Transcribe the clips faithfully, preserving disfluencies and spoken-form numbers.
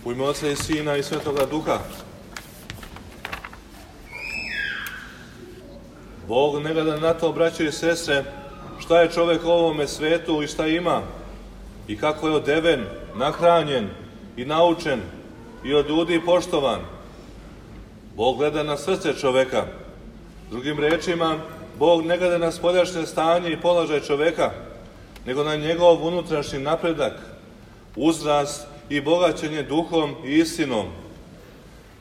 U ime Oca i Sina i Svetoga Duha. Bog ne gleda na to, braćo i sestre, šta je čovjek u ovome svetu i šta ima, i kako je odeven, nahranjen i naučen i od ljudi poštovan. Bog gleda na srce čoveka. Drugim rečima, Bog ne gleda na spoljašnje stanje i položaj čoveka, nego na njegov unutrašnji napredak, uzrast i bogaćenje duhom i istinom.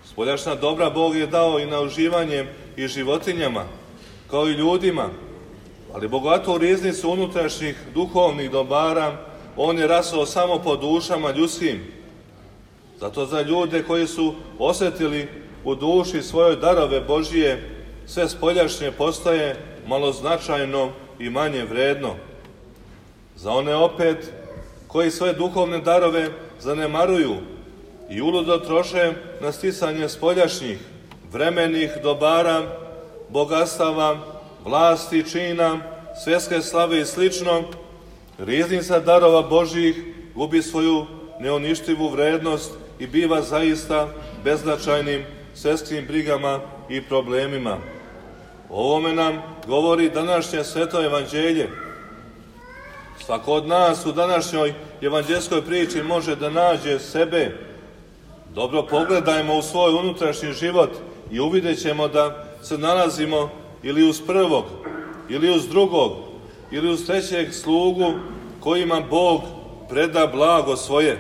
Spoljašnja dobra Bog je dao i na uživanje i životinjama, kao i ljudima, ali bogatu riznicu unutrašnjih duhovnih dobara On je rasuo samo po dušama ljudskim. Zato za ljude koji su osjetili u duši svojoj darove Božije, sve spoljašnje postaje maloznačajno i manje vredno. Za one opet koji svoje duhovne darove zanemaruju i uludo troše na sticanje spoljašnjih, vremenih dobara, bogatstava, vlasti, čina, svjetske slave i slično, riznica darova Božjih gubi svoju neuništivu vrednost i biva zaista beznačajnim svjetskim brigama i problemima. O ovome nam govori današnje sveto evanđelje. Svako od nas u današnjoj evanđelskoj priči može da nađe sebe. Dobro pogledajmo u svoj unutrašnji život i uvidjet ćemo da se nalazimo ili uz prvog, ili uz drugog, ili uz trećeg slugu kojima Bog preda blago svoje.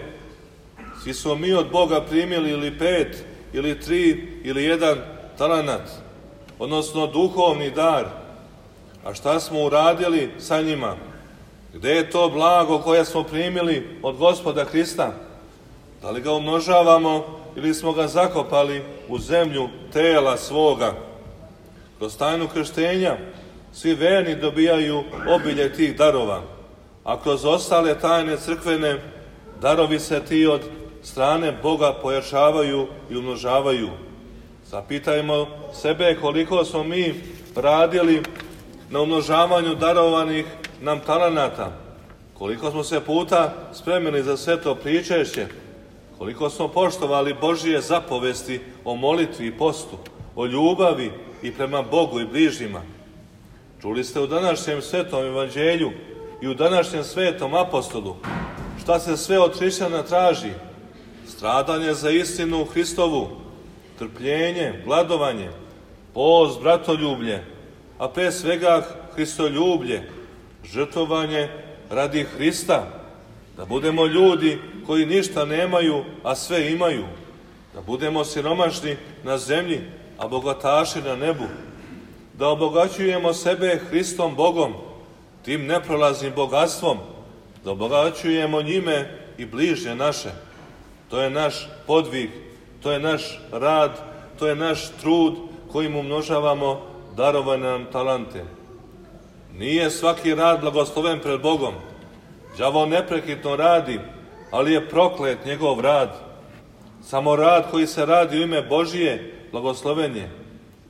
Svi smo mi od Boga primili ili pet, ili tri, ili jedan talenat, odnosno duhovni dar. A šta smo uradili sa njima? Gde je to blago koje smo primili od Gospoda Hrista? Da li ga umnožavamo ili smo ga zakopali u zemlju tela svoga? Kroz tajnu krštenja svi verni dobijaju obilje tih darova, a kroz ostale tajne crkvene darovi se ti od strane Boga pojačavaju i umnožavaju. Zapitajmo sebe koliko smo mi radili na umnožavanju darovanih nam talenata, koliko smo se puta spremili za sveto pričešće, koliko smo poštovali Božije zapovesti o molitvi i postu, o ljubavi i prema Bogu i bližnjima. Čuli ste u današnjem svetom evanđelju i u današnjem svetom apostolu šta se sve od hrišćana traži: stradanje za istinu Hristovu, trpljenje, gladovanje, post, bratoljublje, a pre svega Hristoljublje, žrtvovanje radi Hrista, da budemo ljudi koji ništa nemaju, a sve imaju, da budemo siromašni na zemlji, a bogataši na nebu, da obogaćujemo sebe Hristom Bogom, tim neprolaznim bogatstvom, da obogaćujemo njime i bližnje naše. To je naš podvig, to je naš rad, to je naš trud kojim umnožavamo darovane nam talente. Nije svaki rad blagosloven pred Bogom. Đavo neprekidno radi, ali je proklet njegov rad. Samo rad koji se radi u ime Božije blagosloven je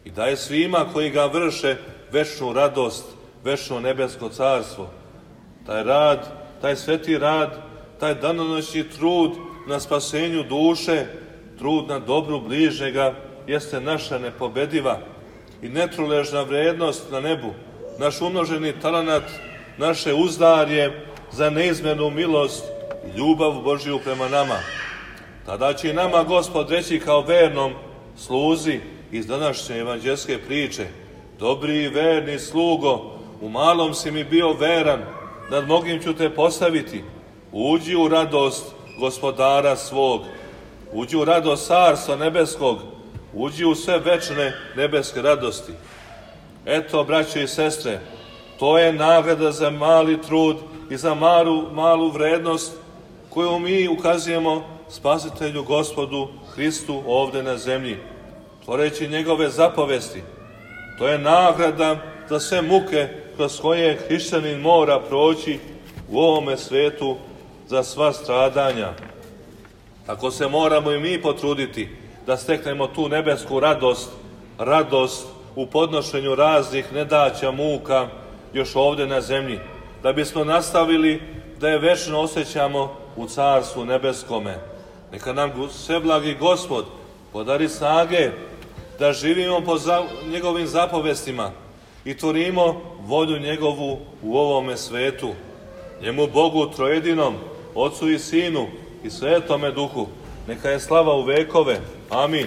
i daje svima koji ga vrše večnu radost, večno nebesko carstvo. Taj rad, taj sveti rad, taj danonoćni trud na spasenju duše, trud na dobru bližnjega, jeste naša nepobediva i netruležna vrednost na nebu, naš umnoženi talenat, naše uzdarje za neizmjernu milost i ljubav Božiju prema nama. Tada će i nama Gospod reći kao vernom sluzi iz današnje evanđelske priče: dobri i verni slugo, u malom si mi bio veran, nad mnogim ću te postaviti. Uđi u radost Gospodara svog, uđi u radost Carstva nebeskog, uđi u sve večne nebeske radosti. Eto, braće i sestre, to je nagrada za mali trud i za malu, malu vrednost koju mi ukazujemo Spasitelju Gospodu Hristu ovde na zemlji, tvoreći njegove zapovesti. To je nagrada za sve muke kroz koje hrišćanin mora proći u ovome svetu, za sva stradanja. Tako se moramo i mi potruditi da steknemo tu nebesku radost, radost u podnošenju raznih nedaća, muka još ovde na zemlji, da bismo nastavili da je večno osjećamo u Carstvu nebeskome, Neka nam sveblagi Gospod podari snage da živimo po za, njegovim zapovestima i tvorimo volju njegovu u ovome svetu. Njemu Bogu trojedinom, Otcu i Sinu i Svetome Duhu, neka je slava u vekove. Amin.